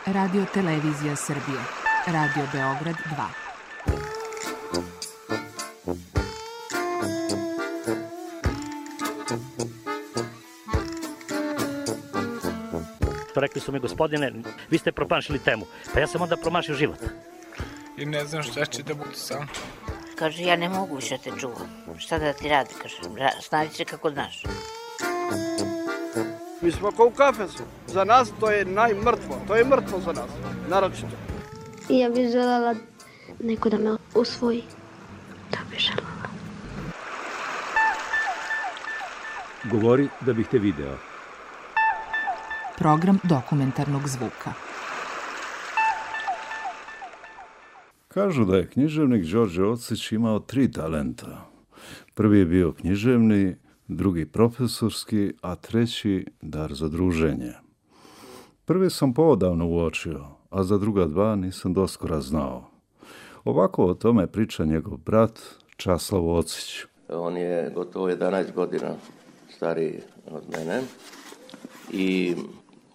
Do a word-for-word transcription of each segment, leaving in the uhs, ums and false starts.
Radio Televizija Srbije. Radio Beograd dva. Rekli su mi, gospodine, vi ste promašili temu. Pa ja sam onda promašio život. I ne znam šta će da bude sam. Kaže, ja ne mogu više te čuvam. Šta da ti radi, kaže, snađi se kako znaš. Mi smo kao u kafesu. Za nas to je najmrtvo. To je mrtvo za nas, naročito. Ja bih želela neko da me usvoji. To bih želela. Govori da bih te video. Program dokumentarnog zvuka. Kažu da je književnik Đorđe Ocić imao tri talenta. Prvi je bio književni, drugi profesorski, a treći dar za druženje. Prvi sam poodavno uočio, a za druga dva nisam doskora znao. Ovako o tome priča njegov brat Časlav Ocić. On je gotovo jedanaest godina stariji od mene i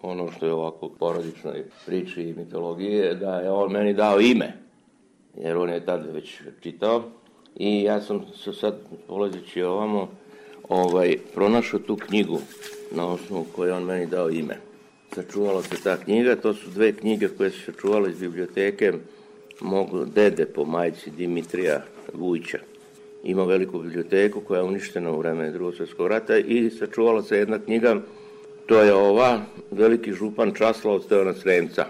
ono što je ovako u porodičnoj priči i mitologiji da je on meni dao ime, jer on je tad već čitao i ja sam se sad polazeći ovamo ovaj, pronašao tu knjigu na osnovu koje on meni dao ime. Sačuvala se ta knjiga, to su dve knjige koje su sačuvale iz biblioteke mog dede po majci Dimitrija Vujća. Ima veliku biblioteku koja je uništena u vreme Drugog svjetskog rata i sačuvala se jedna knjiga, to je ova, Veliki župan Časlav od Stevana Sremca.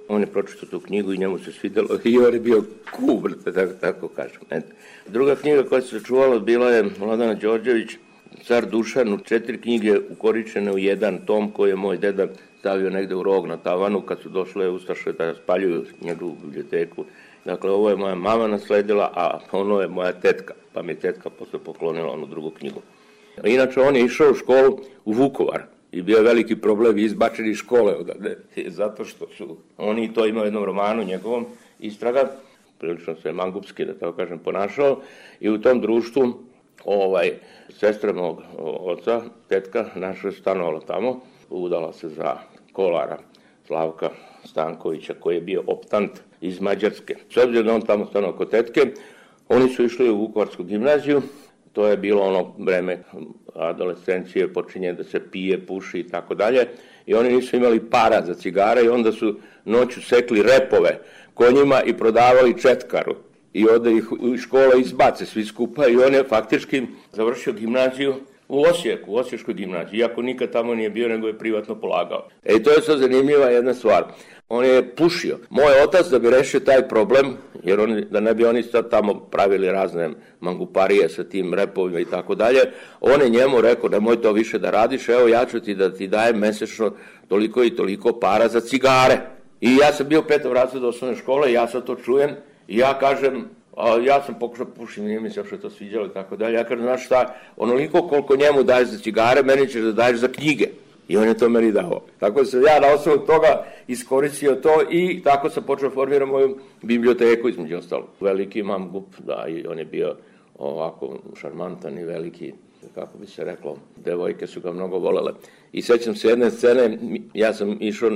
On je pročitao tu knjigu i njemu se svidjelo i on je bio kubr, tako, tako kažem. Eto. Druga knjiga koja se sačuvala bila je Vladana Đorđević, Car Dušan, četiri knjige ukoričene u jedan tom koji je moj deda stavio negde u rog na tavanu kad su došle ustaše da spaljuju njegovu biblioteku. Dakle, ovo je moja mama nasledila, a ono je moja tetka, pa mi je tetka posle poklonila onu drugu knjigu. Inače, on je išao u školu u Vukovar i bio je veliki problem izbačeni iz škole odavde, zato što su oni to imaju u jednom romanu njegovom, Istraga, prilično se mangupski, da tako kažem, ponašao i u tom društvu ovaj, sestra mog oca, tetka, naša je stanovala tamo, udala se za kolara Slavka Stankovića, koji je bio optant iz Mađarske. S obzirom da on tamo stanovao kod tetke, oni su išli u Vukovarsku gimnaziju, to je bilo ono vreme adolescencije, počinje da se pije, puši i tako dalje, i oni nisu imali para za cigare i onda su noću sekli repove konjima i prodavali četkaru. I onda ih u škole izbace svi skupa i on je faktički završio gimnaziju u Osijeku, u Osječkoj gimnaziji, iako nikad tamo nije bio, nego je privatno polagao. E, to je sad zanimljiva jedna stvar. On je pušio. Moj otac, da bi rešio taj problem, jer on, da ne bi oni sad tamo pravili razne manguparije sa tim repovima i tako dalje, on je njemu rekao, nemoj to više da radiš, evo ja ću ti da ti dajem mesečno toliko i toliko para za cigare. I ja sam bio petog razreda osnovne škole i ja sad to čujem i ja kažem, a ja sam pokušao pušim, nije mi se što je to sviđalo i tako dalje. Ja kažem, znaš šta, onoliko koliko njemu daješ za cigare, meni ćeš da daješ za knjige. I on je to meni dao. Tako sam ja na osnovu toga iskoristio to i tako sam počeo formirati moju biblioteku, između ostalo. Veliki mangup, da, i on je bio ovako šarmantan i veliki, kako bi se reklo, devojke su ga mnogo volele. I sećam se jedne scene, ja sam išao,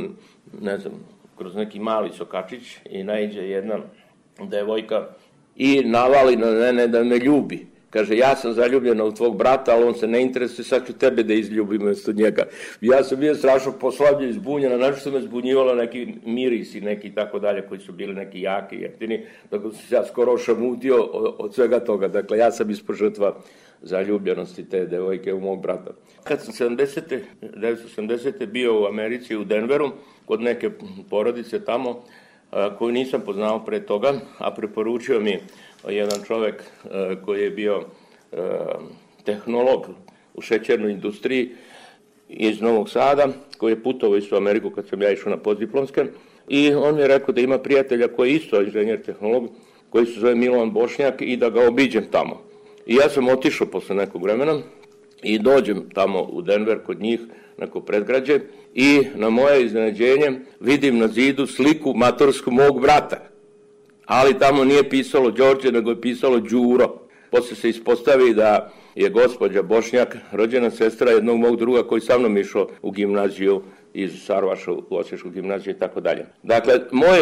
ne znam, kroz neki mali sokačić i naiđe jedna devojka i navali na mene da me ljubi. Kaže, ja sam zaljubljena u tvog brata, ali on se ne interesuje, sad ću tebe da izljubim umjesto njega. Ja sam bio strašno poslavljen, zbunjena, znači što me zbunjivalo neki miris i neki tako dalje, koji su bili neki jaki, jeftini, tako sam se ja skoro ošamutio od, od svega toga. Dakle, ja sam ispod žrtva zaljubljenosti te devojke u mog brata. Kad sam sedamdesete, devetsto sedamdesete bio u Americi, u Denveru, kod neke porodice tamo, koju nisam poznao pre toga, a preporučio mi jedan čovek koji je bio tehnolog u šećernoj industriji iz Novog Sada, koji je putovao isto u Ameriku kad sam ja išao na postdiplomske, i on mi je rekao da ima prijatelja koji je isto inženjer tehnolog, koji se zove Milovan Bošnjak, i da ga obiđem tamo. I ja sam otišao posle nekog vremena i dođem tamo u Denver kod njih, neko predgrađe, i na moje iznenađenje vidim na zidu sliku matorsku mog brata. Ali tamo nije pisalo Đorđe, nego je pisalo Đuro. Posle se ispostavi da je gospođa Bošnjak rođena sestra jednog mog druga koji sa mnom išao u gimnaziju iz Sarvaša u Osječku gimnaziju i tako dalje. Dakle, moj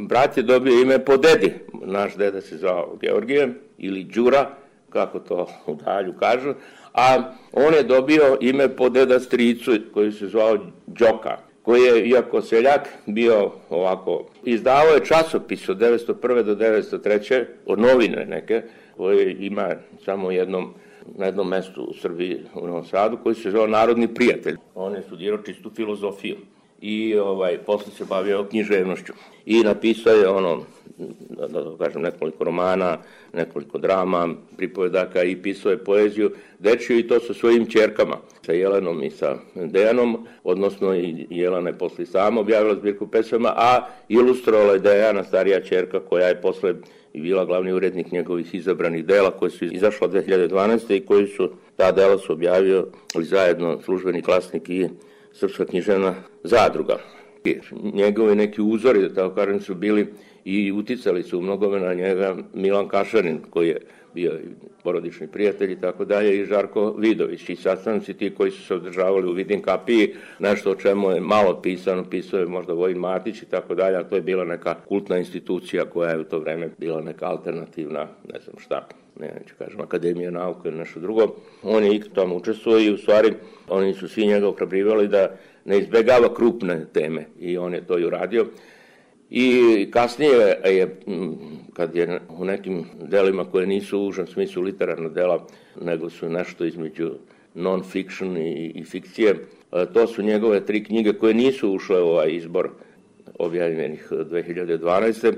brat je dobio ime po dedi. Naš deda se zvao Georgije ili Đura, kako to u dalju kažu, a on je dobio ime po deda stricu koji se zvao Đoka, koji je, iako seljak, bio ovako, izdavao je časopis od devetsto prve do devetsto treće, od novine neke, koje ima samo jednom, na jednom mestu u Srbiji, u Novom Sadu, koji se zvao Narodni prijatelj. On je studirao čistu filozofiju i ovaj, posle se bavio književnošću. I napisao je ono, da, da kažem, nekoliko romana, nekoliko drama, pripovedaka i pisao je poeziju dečiju i to sa svojim ćerkama, sa Jelenom i sa Dejanom, odnosno i Jelena je posle sama objavila zbirku pesama, a ilustrovala je Dejana, starija ćerka, koja je posle i bila glavni urednik njegovih izabranih dela koje su izašla dve hiljade dvanaeste. i koji su, ta dela su objavio zajedno Službeni glasnik i Srpska književna zadruga. Njegovi neki uzori, da tako kažem, su bili i uticali su u mnogome na njega Milan Kašarin, koji je bio porodični prijatelj i tako dalje, i Žarko Vidović. I sastanci ti koji su se održavali u Vidin kapiji, nešto o čemu je malo pisano, pisao je možda Vojin Matić i tako dalje, a to je bila neka kultna institucija koja je u to vreme bila neka alternativna, ne znam šta, ne neću kažem, Akademija nauke ili nešto drugo. On je i tamo učestvovao i u stvari oni su svi njega ohrabrivali da ne izbegava krupne teme i on je to i uradio. I kasnije je, kad je u nekim delima koje nisu u užem smislu literarna dela, nego su nešto između non-fiction i, i fikcije, to su njegove tri knjige koje nisu ušle u ovaj izbor objavljenih dve hiljade dvanaeste.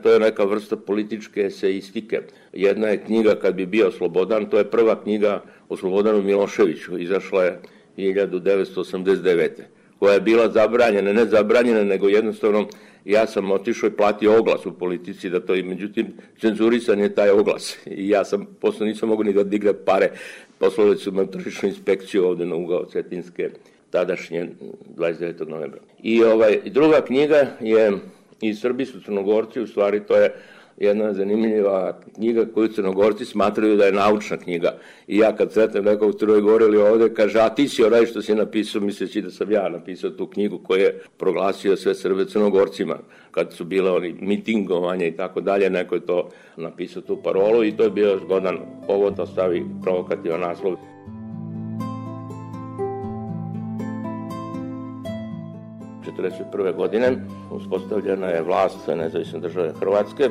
To je neka vrsta političke eseistike. Jedna je knjiga Kad bi bio slobodan, to je prva knjiga o Slobodanu Miloševiću, izašla je hiljadu devetsto osamdeset devete. koja je bila zabranjena, ne zabranjena, nego jednostavno ja sam otišao i platio oglas u Politici da to i međutim cenzurisan je taj oglas i ja sam posle nisam mogu ni da digne pare, poslali su me u tržišnu inspekciju ovde na ugao Cetinske tadašnje dvadeset devetog novembra. I ovaj druga knjiga je Iz Srbi su Crnogorci, u stvari to je jedna zanimljiva knjiga koju Crnogorci smatraju da je naučna knjiga. I ja kad sretnem nekog u Crnoj Gori ili ovde, kaže, a ti si onaj što si napisao, misleći da sam ja napisao tu knjigu koju je proglasio sve Srbe Crnogorcima. Kad su bile oni mitingovanja i tako dalje, neko je to napisao tu parolu i to je bio zgodan povod da stavi provokativan naslov. četrdeset prve godine uspostavljena je vlast nezavisne države Hrvatske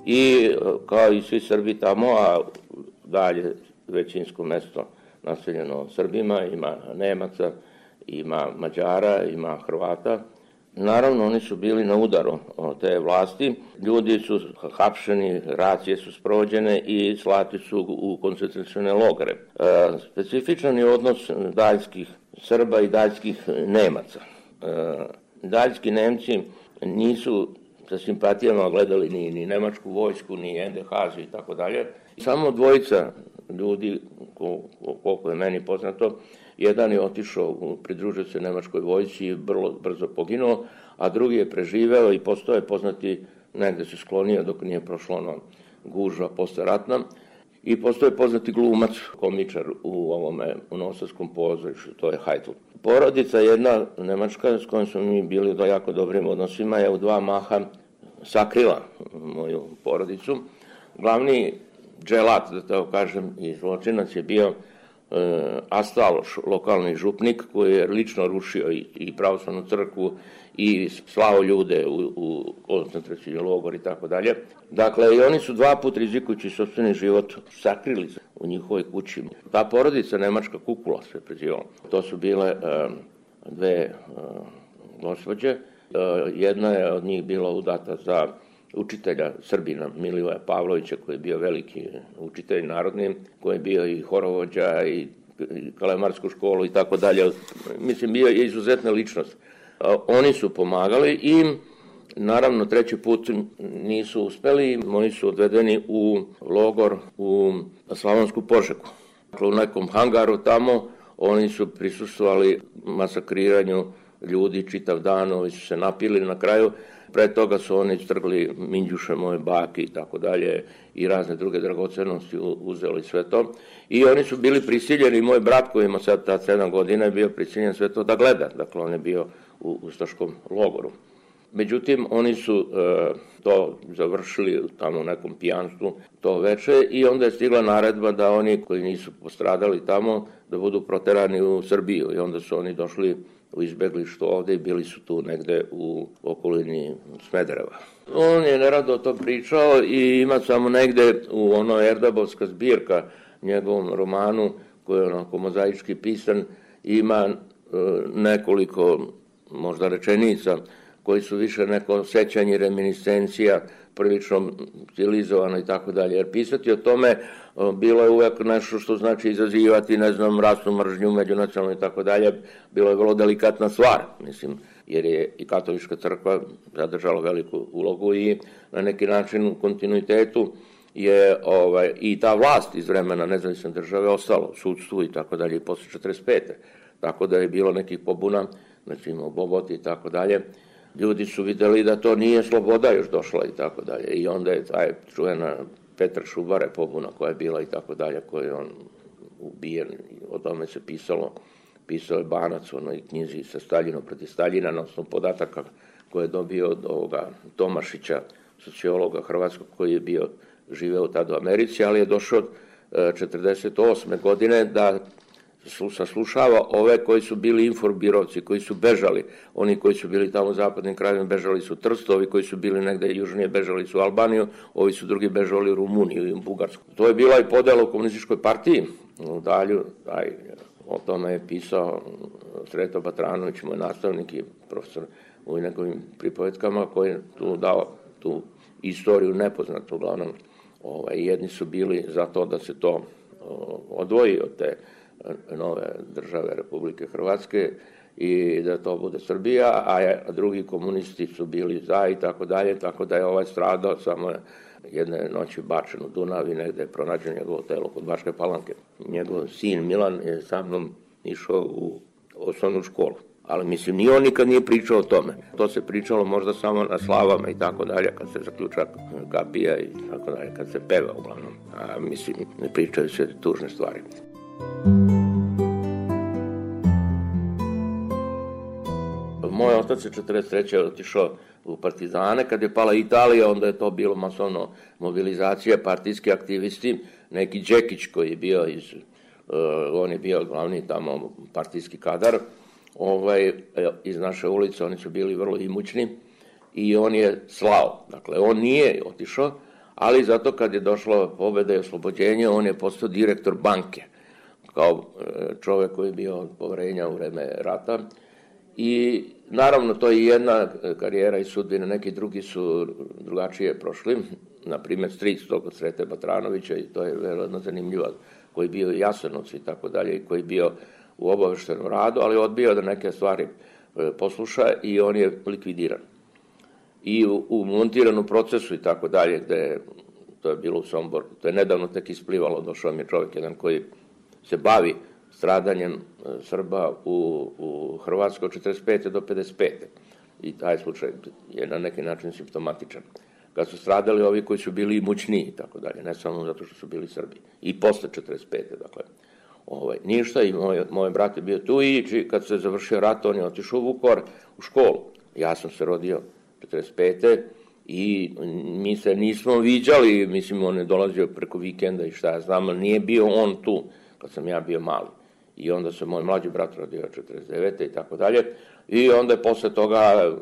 i kao i svi Srbi tamo, a dalje većinsko mesto naseljeno Srbima, ima Nemaca, ima Mađara, ima Hrvata. Naravno, oni su bili na udaru od te vlasti. Ljudi su hapšeni, racije su sprovođene i slati su u koncentracione logore. E, specifičan je odnos daljskih Srba i daljskih Nemaca. E, daljski Nemci nisu sa simpatijama gledali ni, ni nemačku vojsku, ni en de ha i tako dalje. Samo dvojica ljudi, koliko je meni poznato, jedan je otišao, pridružio se nemačkoj vojsci i vrlo brzo poginuo, a drugi je preživeo i postao je poznati, negde se sklonio dok nije prošlo ono gužva posleratna, i postao je poznati glumac, komičar u ovome, u Novosadskom pozorištu, to je Heitl. Porodica jedna nemačka s kojom smo mi bili do jako dobrim odnosima je u dva maha sakrila moju porodicu. Glavni dželat, da tako kažem, i zločinac je bio e, Astaloš, lokalni župnik, koji je lično rušio i, i pravoslavnu crkvu i slao ljude u, u koncentracioni logor i tako dalje. Dakle, i oni su dva put rizikujući sopstveni život sakrili u njihovoj kući. Ta porodica nemačka Kukula se prezivala. To su bile e, dve e, gospođe. E, jedna je od njih bila udata za učitelja Srbina Milivoja Pavlovića, koji je bio veliki učitelj narodni, koji je bio i horovođa i, i kalemarsku školu i tako dalje. Mislim, bio je izuzetna ličnost. E, oni su pomagali i naravno, treći put nisu uspeli, oni su odvedeni u logor u Slavonsku Požegu. Dakle, u nekom hangaru tamo oni su prisustvovali masakriranju ljudi čitav dan, ovi su se napili na kraju. Pre toga su oni strgli minđuše moje bake i tako dalje i razne druge dragocenosti uzeli sve to. I oni su bili prisiljeni, moj brat koji ima sad ta sedam godina je bio prisiljen sve to da gleda. Dakle, on je bio u ustaškom logoru. Međutim, oni su e, to završili tamo u nekom pijanstvu to veče i onda je stigla naredba da oni koji nisu postradali tamo da budu proterani u Srbiju i onda su oni došli u izbeglištvo ovde i bili su tu negde u okolini Smedereva. On je nerado to pričao i ima samo negde u onoj Erdabovska zbirka, njegovom romanu koji je onako mozaički pisan, ima e, nekoliko možda rečenica koji su više neko sećanje, reminiscencija, prilično stilizovano i tako dalje. Jer pisati o tome bilo je uvek nešto što znači izazivati, ne znam, rasnu mržnju, međunacionalnu i tako dalje. Bilo je vrlo delikatna stvar, mislim, jer je i katolička crkva zadržala veliku ulogu i na neki način u kontinuitetu je ovaj, i ta vlast iz vremena nezavisne države ostalo u sudstvu i tako dalje i posle četrdeset pete. Tako da je bilo nekih pobuna, znači imao Boboti i tako dalje. Ljudi su videli da to nije sloboda još došla i tako dalje. I onda je taj čuvena Petar Šubare pobuna koja je bila i tako dalje, koji je on ubijen. O tome se pisalo. Pisao je Banac u onoj knjizi sa Staljinom protiv Staljina na osnovu podataka koje je dobio od ovoga Tomašića, sociologa hrvatskog koji je bio živeo tada u Americi, ali je došao četrdeset osme godine da saslušava ove koji su bili inforbirovci, koji su bežali. Oni koji su bili tamo u zapadnim krajevima bežali su Trsto, ovi koji su bili negde južnije bežali su u Albaniju, ovi su drugi bežali u Rumuniju i u Bugarsku. To je bila i podela u komunističkoj partiji. U dalju, aj, o tome je pisao Sreto Batranović, moj nastavnik i profesor u njegovim pripovetkama, koji je tu dao tu istoriju nepoznatu uglavnom. Ovaj, jedni su bili za to da se to odvoji od te nove države Republike Hrvatske i da to bude Srbija, a drugi komunisti su bili za i tako dalje, tako da je ovaj stradao samo jedne noći bačen u Dunav i negde je pronađen njegovo telo kod Bačke Palanke. Njegov sin Milan je sa mnom išao u osnovnu školu. Ali mislim, ni on nikad nije pričao o tome. To se pričalo možda samo na slavama i tako dalje, kad se zaključa kapija i tako dalje, kad se peva uglavnom. A mislim, ne pričaju se tužne stvari. Moj otac je četrdeset treće otišao u partizane. Kad je pala Italija, onda je to bilo masovno mobilizacija, partijski aktivisti. Neki Đekić koji je bio iz, uh, on je bio glavni tamo partijski kadar, ovaj, iz naše ulice, oni su bili vrlo imućni i on je slao. Dakle, on nije otišao, ali zato kad je došla pobeda i oslobođenje, on je postao direktor banke, kao čovjek koji je bio od poverenja u vreme rata. I naravno to je jedna karijera i sudbina, neki drugi su drugačije prošli, na primjer stric tog od Srete Batranovića i to je veoma zanimljivo, koji je bio Jasenovac i tako dalje, i koji je bio u obaveštenom radu, ali odbio da neke stvari posluša i on je likvidiran. I u, u montiranom procesu i tako dalje, gde to je bilo u Somboru, to je nedavno tek isplivalo, došao mi je čovjek jedan koji se bavi stradanjem Srba u, u Hrvatskoj od četrdeset pete do pedeset pete. I taj slučaj je na neki način simptomatičan. Kad su stradali ovi koji su bili imućniji i tako dalje, ne samo zato što su bili Srbi. I posle četrdeset pete dakle. Ovaj, ništa i moj, moj brat je bio tu i kad se završio rat, on je otišao u Vukovar u školu. Ja sam se rodio četrdeset pete i mi se nismo viđali, mislim, on je dolazio preko vikenda i šta ja znam, ali nije bio on tu kad sam ja bio mali. I onda se moj mlađi brat rodio četrdeset devete i tako dalje. I onda je posle toga,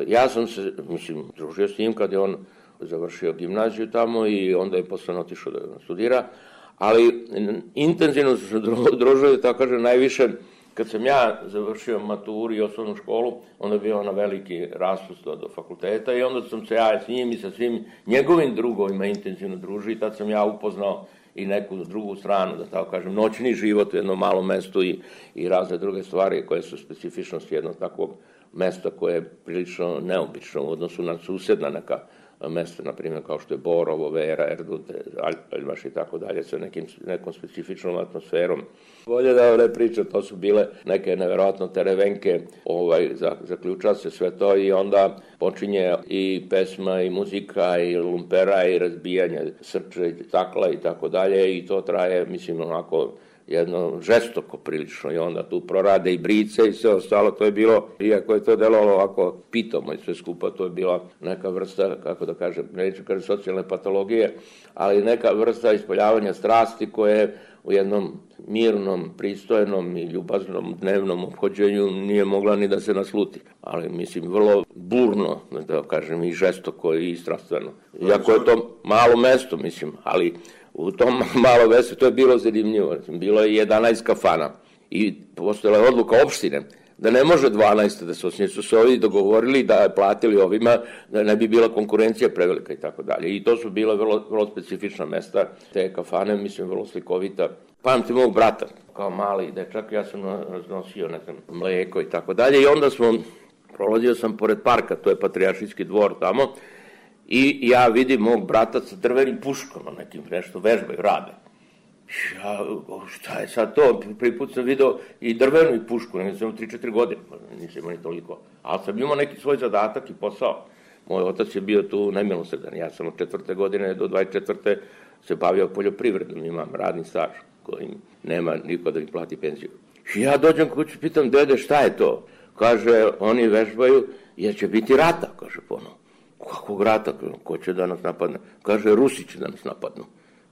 ja sam se, mislim, družio s njim kad je on završio gimnaziju tamo i onda je posle otišao da studira. Ali intenzivno su se družili, tako kažem, najviše kad sam ja završio maturu i osnovnu školu, onda je bio na veliki raspust do, do fakulteta i onda sam se ja s njim i sa svim njegovim drugovima intenzivno družio i tad sam ja upoznao i neku drugu stranu, da tako kažem, noćni život u jednom malom mestu i, i razne druge stvari koje su specifičnosti jednog takvog mesta koje je prilično neobično u odnosu na susedna neka mesta, na primjer kao što je Borovo, Vera, Erdut, Aljmaš i tako dalje, sa nekim, nekom specifičnom atmosferom. Bolje da ne pričam, to su bile neke neverovatno terevenke, ovaj, zaključa se sve to i onda počinje i pesma i muzika i lumpera i razbijanje srča i stakla i tako dalje i to traje, mislim, onako jedno žestoko prilično i onda tu prorade i brice i sve ostalo, to je bilo, iako je to delovalo ovako pitomo i sve skupa, to je bila neka vrsta, kako da kažem, neću kažem socijalne patologije, ali neka vrsta ispoljavanja strasti koje u jednom mirnom, pristojnom i ljubaznom dnevnom ophođenju nije mogla ni da se nasluti. Ali, mislim, vrlo burno, da kažem, i žestoko i strastveno. Iako je to malo mesto, mislim, ali u tom malo mesto to je bilo zanimljivo. Bilo je jedanaest kafana i postojala je odluka opštine da ne može dvanaest da se osnije, su se ovi dogovorili da je platili ovima, da ne bi bila konkurencija prevelika i tako dalje. I to su bila vrlo, vrlo specifična mesta, te kafane, mislim, vrlo slikovita. Pamtim mog brata, kao mali dečak, ja sam nosio, ne znam, mleko i tako dalje. I onda smo, prolazio sam pored parka, to je Patrijaršijski dvor tamo, i ja vidim mog brata sa drvenim puškama, nekim nešto vežbaju, rade. Ja, šta je sad to? Prvi put sam video i drvenu i pušku, ne sam tri četiri godine, nisam imao ni toliko. Ali sam imao neki svoj zadatak i posao. Moj otac je bio tu nemilosredan. Ja sam od četvrte godine do dvadeset četvrte se bavio poljoprivredom, imam radni staž koji nema niko da mi plati penziju. I ja dođem kući, pitam dede šta je to? Kaže, oni vežbaju jer će biti rata, kaže ponovo. Kakvog rata? Ko će da nas napadne? Kaže, Rusi će da nas napadnu.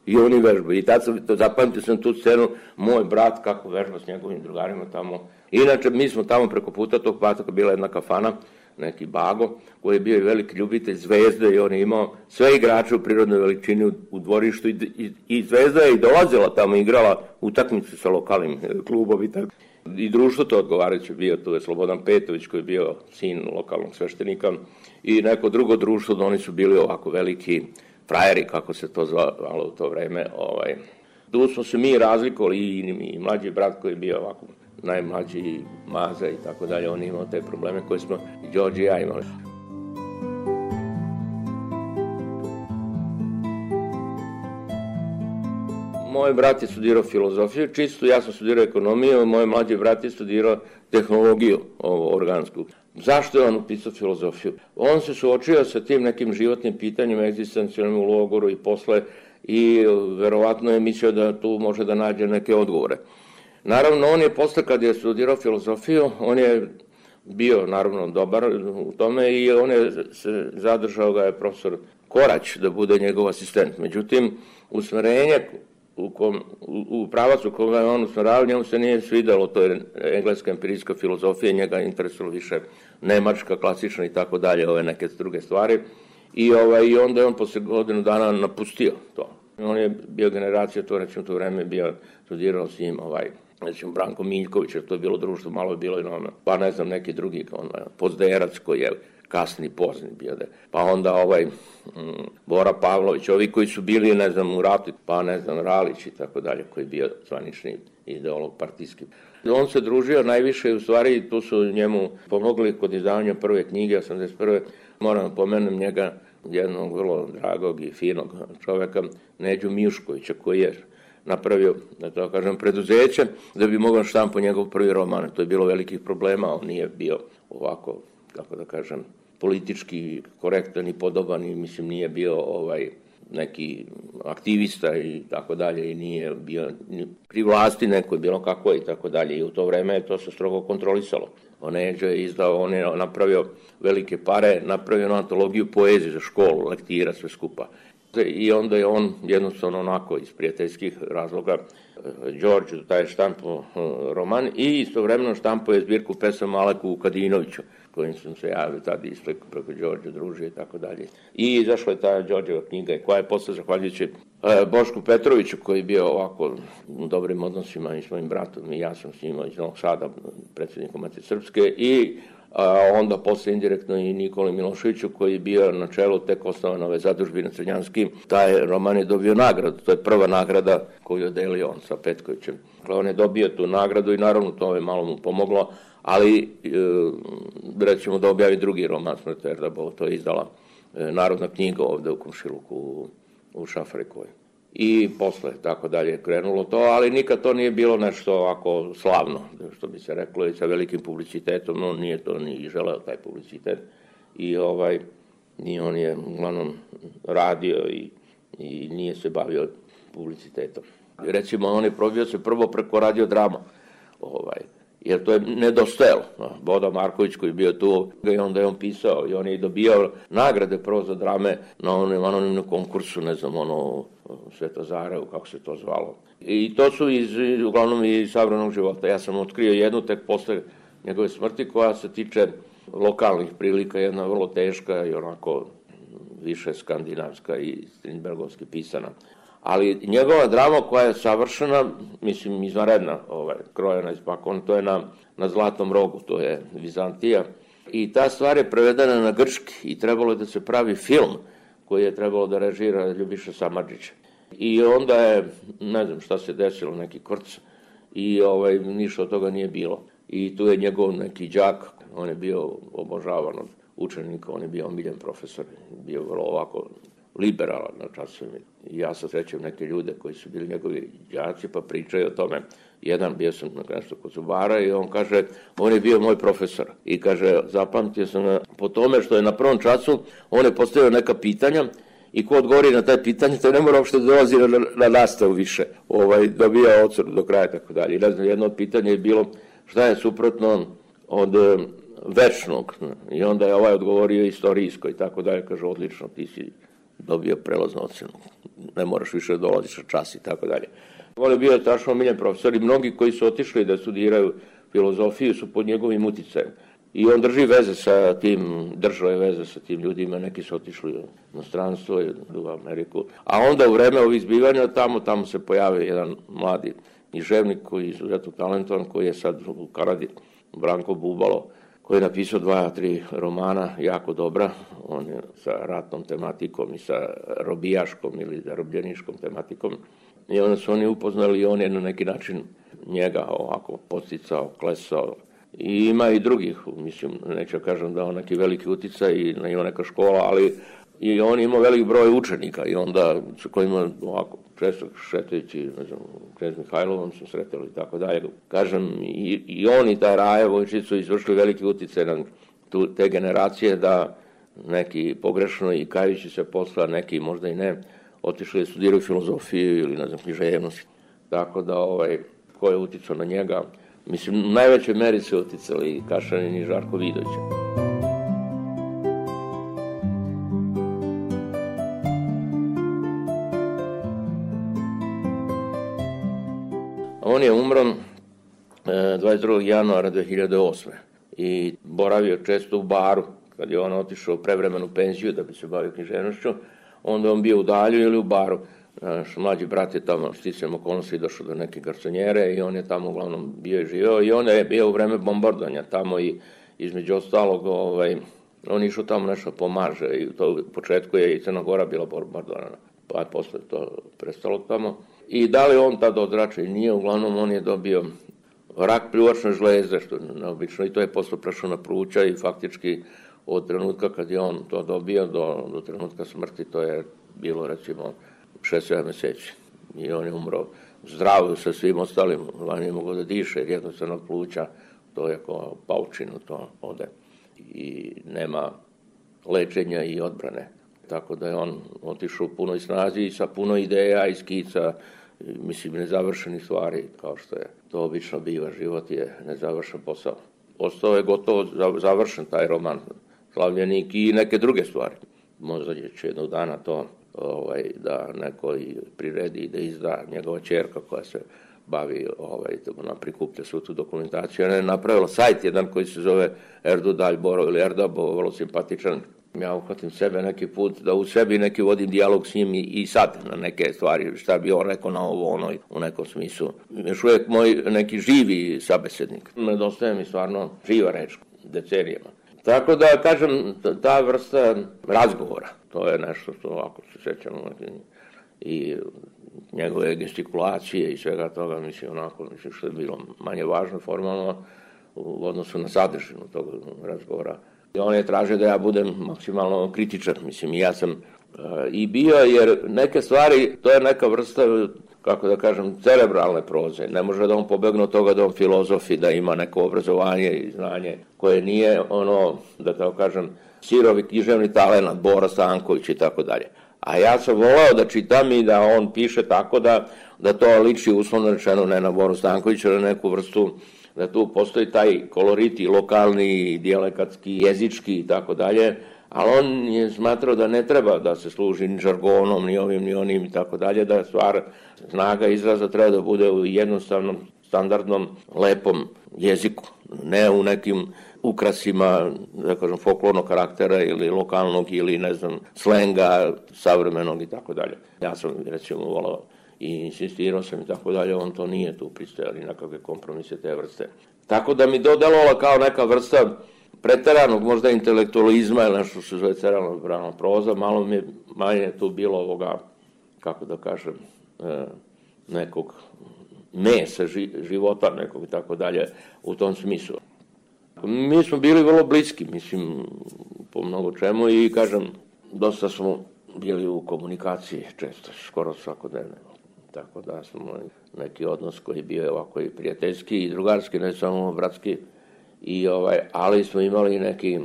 I oni vežbaju. I tad sam, to, zapamtio sam tu scenu, moj brat kako vežba s njegovim drugarima tamo. Inače, mi smo tamo preko puta tog pataka, bila jedna kafana, neki Bago, koji je bio i veliki ljubitelj Zvezde i on je imao sve igrače u prirodnoj veličini u, u dvorištu i, i, i Zvezda je i dolazila tamo, igrala utakmice sa lokalnim klubovi. Tako. I društvo to odgovarajuće bio, tu je Slobodan Petović koji je bio sin lokalnog sveštenika i neko drugo društvo, da oni su bili ovako veliki frajeri, kako se to zvalo u to vreme. Ovaj. Tu smo se mi razlikovali i, i mlađi brat koji je bio ovako najmlađi Maza i tako dalje, on je imao te probleme koje smo i Đorđe i ja imali. Moj brat je studirao filozofiju, čisto, ja sam studirao ekonomiju, moj mlađi brat je studirao tehnologiju, ovo, organsku. Zašto je on upisao filozofiju? On se suočio sa tim nekim životnim pitanjem, egzistencijalnim u logoru i posle, i verovatno je mislio da tu može da nađe neke odgovore. Naravno, on je posle kad je studirao filozofiju, on je bio naravno dobar u tome i on je se zadržao ga je profesor Korać da bude njegov asistent. Međutim, usmerenje u, kom, u, u pravacu koga je on usmeravao, njemu se nije svidelo, to je engleska empirijska filozofija, njega interesovalo više nemačka, klasična i tako dalje, ove neke druge stvari. I, ovaj, i onda je on posle godinu dana napustio to. On je bio generacija, to recimo to vreme bio studirao s njim, ovaj, recimo Branko Miljković, jer to je bilo društvo, malo je bilo i nome, pa ne znam neki drugi, on, Pozderac koji je kasni, pozni bio da, pa onda ovaj m, Bora Pavlović, ovi koji su bili, ne znam, u ratu, pa ne znam, Ralić i tako dalje, koji je bio zvanični ideolog partijski. On se družio najviše i u stvari tu su njemu pomogli kod izdavanja prve knjige, osamdeset prve Moram pomenem njega, jednog vrlo dragog i finog čoveka, Neđu Mijuškovića, koji je napravio, da to kažem, preduzeće da bi mogao štampo njegov prvi roman. To je bilo velikih problema, on nije bio ovako, kako da kažem, politički korektan i podoban i mislim nije bio ovaj neki aktivista i tako dalje i nije bio pri vlasti neko je bilo kako i tako dalje i u to vreme je to se strogo kontrolisalo. On je izdao, on je napravio velike pare, napravio antologiju poezije za školu, lektira, sve skupa. I onda je on jednostavno onako iz prijateljskih razloga Đorđe, taj štampo roman i istovremeno štampo je zbirku pesama Aleku Vukadinoviću, kojim sam se javio tada isto preko Đorđe družio i tako dalje. I izašla je ta Đorđeva knjiga koja je posle zahvaljujući Bošku Petroviću koji je bio ovako u dobrim odnosima i s mojim bratom i ja sam s njima iz Novog Sada, predsjednikom Matice Srpske i a onda posle indirektno i Nikoli Miloševiću koji je bio na čelu tek osnovane ove zadužbine Crnjanski. Taj roman je dobio nagradu, to je prva nagrada koju je delio on sa Petkovićem. On je dobio tu nagradu i naravno to je malo mu pomoglo, ali e, rećemo da objavi drugi roman Smrt Erdabova, to je izdala Narodna knjiga ovde u Komšiluku, u, u Šafarikovoj. I posle tako dalje krenulo to, ali nikad to nije bilo nešto ovako slavno, što bi se reklo, i sa velikim publicitetom, no nije to ni želeo taj publicitet. I ovaj, i on je uglavnom radio i, i nije se bavio publicitetom. Recimo, on je probio se prvo preko radiodrama, ovaj, jer to je nedostajalo. Bodo Marković koji je bio tu, i onda je on pisao i on je dobijao nagrade prvo za drame na onom anonimnom konkursu, ne znam, ono, Svetozarevu, kako se to zvalo. I to su iz, uglavnom iz savremenog života. Ja sam otkrio jednu tek posle njegove smrti koja se tiče lokalnih prilika, jedna vrlo teška i onako više skandinavska i strindbergovski pisana. Ali njegova drama koja je savršena, mislim, izvanredna, ovaj, krojena iz pakona, to je na, na Zlatnom rogu, to je Vizantija. I ta stvar je prevedena na grčki i trebalo je da se pravi film koji je trebalo da režira Ljubiša Samardžić. I onda je, ne znam šta se desilo, neki kvrc i ovaj, ništa od toga nije bilo. I tu je njegov neki đak, on je bio obožavan od učenika, on je bio omiljen profesor, bio vrlo ovako liberalan na časovima. I ja sad srećem neke ljude koji su bili njegovi đaci pa pričaju o tome. Jedan bio sam na nešto kod zubara i on kaže, on je bio moj profesor. I kaže, zapamtio sam ga po tome što je na prvom času, on je postavio neka pitanja i ko odgovori na taj pitanje, to ne mora uopšte dolazi na, na nastavu više. Ovaj, dobija ocenu do kraja, tako dalje. I ne znam, jedno od pitanja je bilo šta je suprotno od večnog. I onda je ovaj odgovorio istorijsko i tako dalje. Kaže, odlično, ti si dobio prelaznu ocenu. Ne moraš više da dolaziš na čas i tako dalje. On je bio strašno omiljen profesor i mnogi koji su otišli da studiraju filozofiju su pod njegovim uticajem. I on drži veze sa tim, držao je veze sa tim ljudima, neki su otišli na stranstvo i u Ameriku. A onda u vreme ovih zbivanja tamo, tamo se pojavio jedan mladi književnik koji je izuzetno talentovan, koji je sad u Kanadi, Branko Bubalo, koji je napisao dva, tri romana, jako dobra. On je sa ratnom tematikom i sa robijaškom ili zarobljeniškom tematikom. I onda su oni upoznali i on je na neki način njega ovako posticao, klesao. I ima i drugih, mislim, neću kažem da on neki veliki uticaj i ima neka škola, ali i on ima velik broj učenika i onda sa kojima ovako često šetajući, ne znam, Knez Mihajlovom su sretali i tako dalje. Kažem, i, i on i taj Raje Vojčić su izvršili veliki uticaj na tu, te generacije da neki pogrešno i kajući se posla, neki možda i ne, otišli da studiraju filozofiju ili, ne znam, književnost. Tako da, ovaj, ko je uticao na njega, mislim, u najvećoj meri se uticali i Kašanin i Žarko Vidović. On je umro dvadeset drugog januara dve hiljade osme i boravio često u baru. Kad je on otišao u prevremenu penziju da bi se bavio književnošću, onda on bio u dalju ili u baru. Naš mlađi brat je tamo sticajem okolnosti došao do neke garsonjere i on je tamo uglavnom bio i živeo i on je bio u vreme bombardovanja tamo i između ostalog ovaj, on išao tamo nešto pomaže i to u početku je i Crna Gora bila bombardovana, pa je posle to prestalo tamo. I da li on tada odrača i nije, uglavnom on je dobio rak pljuvačne žlezde, što je neobično, i to je posle prešao na pluća i faktički od trenutka kad je on to dobio do, do trenutka smrti, to je bilo recimo šest sedam meseci. I on je umro zdravo sa svim ostalim, on je mogao da diše, jer jednostavno pluća, to je kao paučinu, to ode. I nema lečenja i odbrane. Tako da je on otišao u punoj snazi i sa puno ideja i skica, mislim, nezavršenih stvari, kao što je to obično biva, život je nezavršen posao. Ostao je gotovo završen taj roman, Slavljenik i neke druge stvari. Možda će jednog dana to ovaj, da neko i priredi i da izda njegova ćerka koja se bavi, ovaj, ona prikuplja svu tu dokumentaciju. Ona je napravila sajt jedan koji se zove Erdu Daljboro ili Erdabo, vrlo simpatičan. Ja uhvatim sebe neki put da u sebi neki vodim dijalog s njim i, i sad na neke stvari, šta bi on rekao na ovo, ono, u nekom smislu. Još uvijek moj neki živi sabesednik. Nedostaje mi stvarno živa reč decenijama. Tako da, kažem, ta vrsta razgovora, to je nešto što ovako se sećamo i njegove gestikulacije i svega toga, mislim, onako, mislim, što je bilo manje važno formalno u odnosu na sadržinu tog razgovora. I on je tražio da ja budem maksimalno kritičan, mislim, i ja sam uh, i bio, jer neke stvari, to je neka vrsta, kako da kažem, cerebralne proze. Ne može da on pobegne od toga da on filozof i da ima neko obrazovanje i znanje koje nije ono, da tako kažem, sirovi književni talenat, Bora Stanković i tako dalje. A ja sam voleo da čitam i da on piše tako da, da to liči uslovno rečeno ne na Boru Stankovića, na neku vrstu, da tu postoji taj kolorit i lokalni, i dijalekatski, jezički i tako dalje, ali on je smatrao da ne treba da se služi ni žargonom, ni ovim, ni onim i tako dalje, da stvar snaga izraza treba da bude u jednostavnom, standardnom, lepom jeziku, ne u nekim ukrasima, da kažem, folklornog karaktera ili lokalnog ili, ne znam, slenga savremenog i tako dalje. Ja sam, recimo, volao i insistirao sam i tako dalje, on to nije tu pristajali nekakve kompromise te vrste. Tako da mi dodelovala kao neka vrsta preteranog možda intelektualizma ili nešto što se zove cerebralna proza, malo mi je manje tu bilo ovoga, kako da kažem, nekog mesa života nekog i tako dalje u tom smislu. Mi smo bili vrlo bliski, mislim, po mnogo čemu i, kažem, dosta smo bili u komunikaciji često, skoro svakodnevno. Tako da smo neki odnos koji je bio ovako i prijateljski i drugarski, ne samo bratski, i ovaj, ali smo imali neki,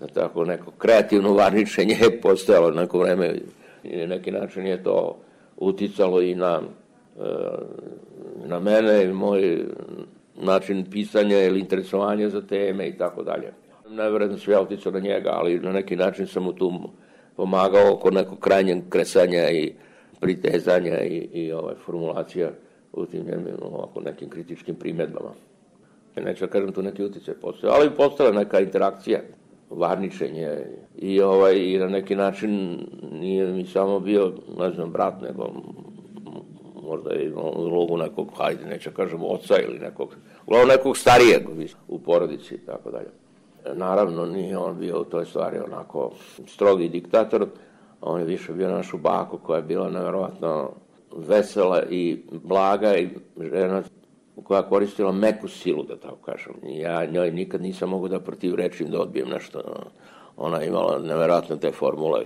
da tako, neko kreativno varničenje postojalo neko vreme i na neki način je to uticalo i na, na mene i moj način pisanja ili interesovanja za teme i tako dalje. Nevjerojatno sve ja uticao na njega, ali na neki način sam mu tu pomagao oko nekog krajnjeg kresanja i pritezanja i, i ovaj, formulacija u tim ovako nekim kritičkim primjedbama. Neću da kažem tu neki uticaj postoje, ali postala neka interakcija, varničenje i, ovaj, i na neki način nije mi samo bio, ne znam, brat, nego možda je imao ulogu nekog, hajde, neću da kažem, oca ili nekog, uglavnom nekog starijeg u porodici i tako dalje. Naravno, nije on bio u toj stvari onako strogi diktator, on je više bio našu baku koja je bila nevjerovatno vesela i blaga i žena koja koristila meku silu, da tako kažem. Ja njoj nikad nisam mogu da protivrečim, da odbijem nešto. Ona imala nevjerojatno te formule,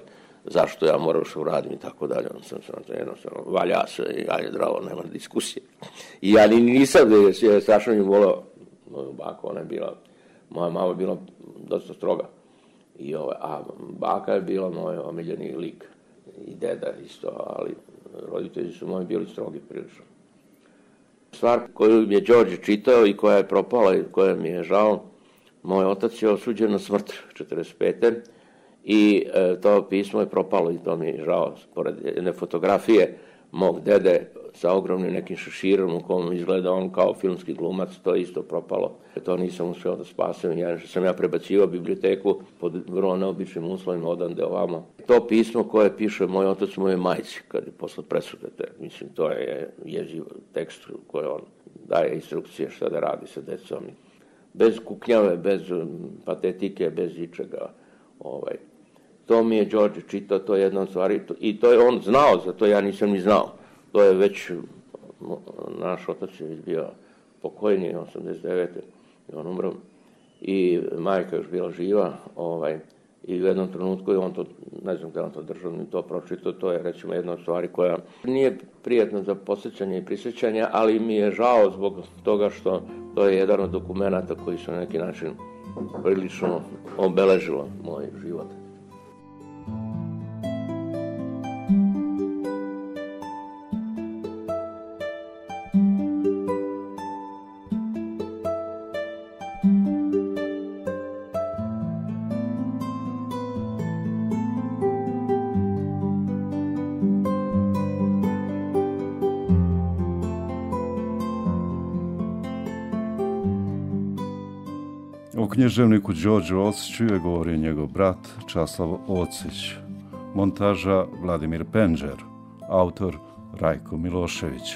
zašto ja moram što uradim i tako dalje. On sam sam jednostavno, valja se i ajde zdravo, nema diskusije. I ja ni nisam, da je strašno nju voleo moju baku, ona je bila, moja mama je bila dosta stroga. I ovaj, a baka je bila moj omiljeni lik i deda isto, ali roditelji su moji bili strogi prilično. Stvar koju je Đorđe čitao i koja je propala i koja mi je žao, moj otac je osuđen na smrt četrdeset pete i e, to pismo je propalo i to mi je žao. Pored jedne fotografije mog dede sa ogromnim nekim šeširom u kom izgleda on kao filmski glumac, to je isto propalo. To nisam uspio da spasem, ja sam ja prebacivao biblioteku pod vrlo neobičnim uslovima odande ovamo. To pismo koje piše moj otac moje majci, kad je posle presude, mislim, to je jeziv tekst koji on daje instrukcije šta da radi sa decom. Bez kuknjave, bez patetike, bez ičega. Ovaj. To mi je Đorđe čitao, to je jedna od stvari, i to je on znao, za to ja nisam ni znao. To je već, naš otac je već bio pokojni, osamdeset devete i on umro. I majka još bila živa, ovaj, i u jednom trenutku je on to, ne znam gde on to držao, ni to pročitao, to je recimo jedna od stvari koja nije prijatna za posjećanje i prisjećanje, ali mi je žao zbog toga što to je jedan od dokumenata koji su na neki način prilično obeležilo moj život. O književniku Đorđu Ociću je govorio njegov brat Časlav Ocić, montaža Vladimir Penđer, autor Rajko Milošević.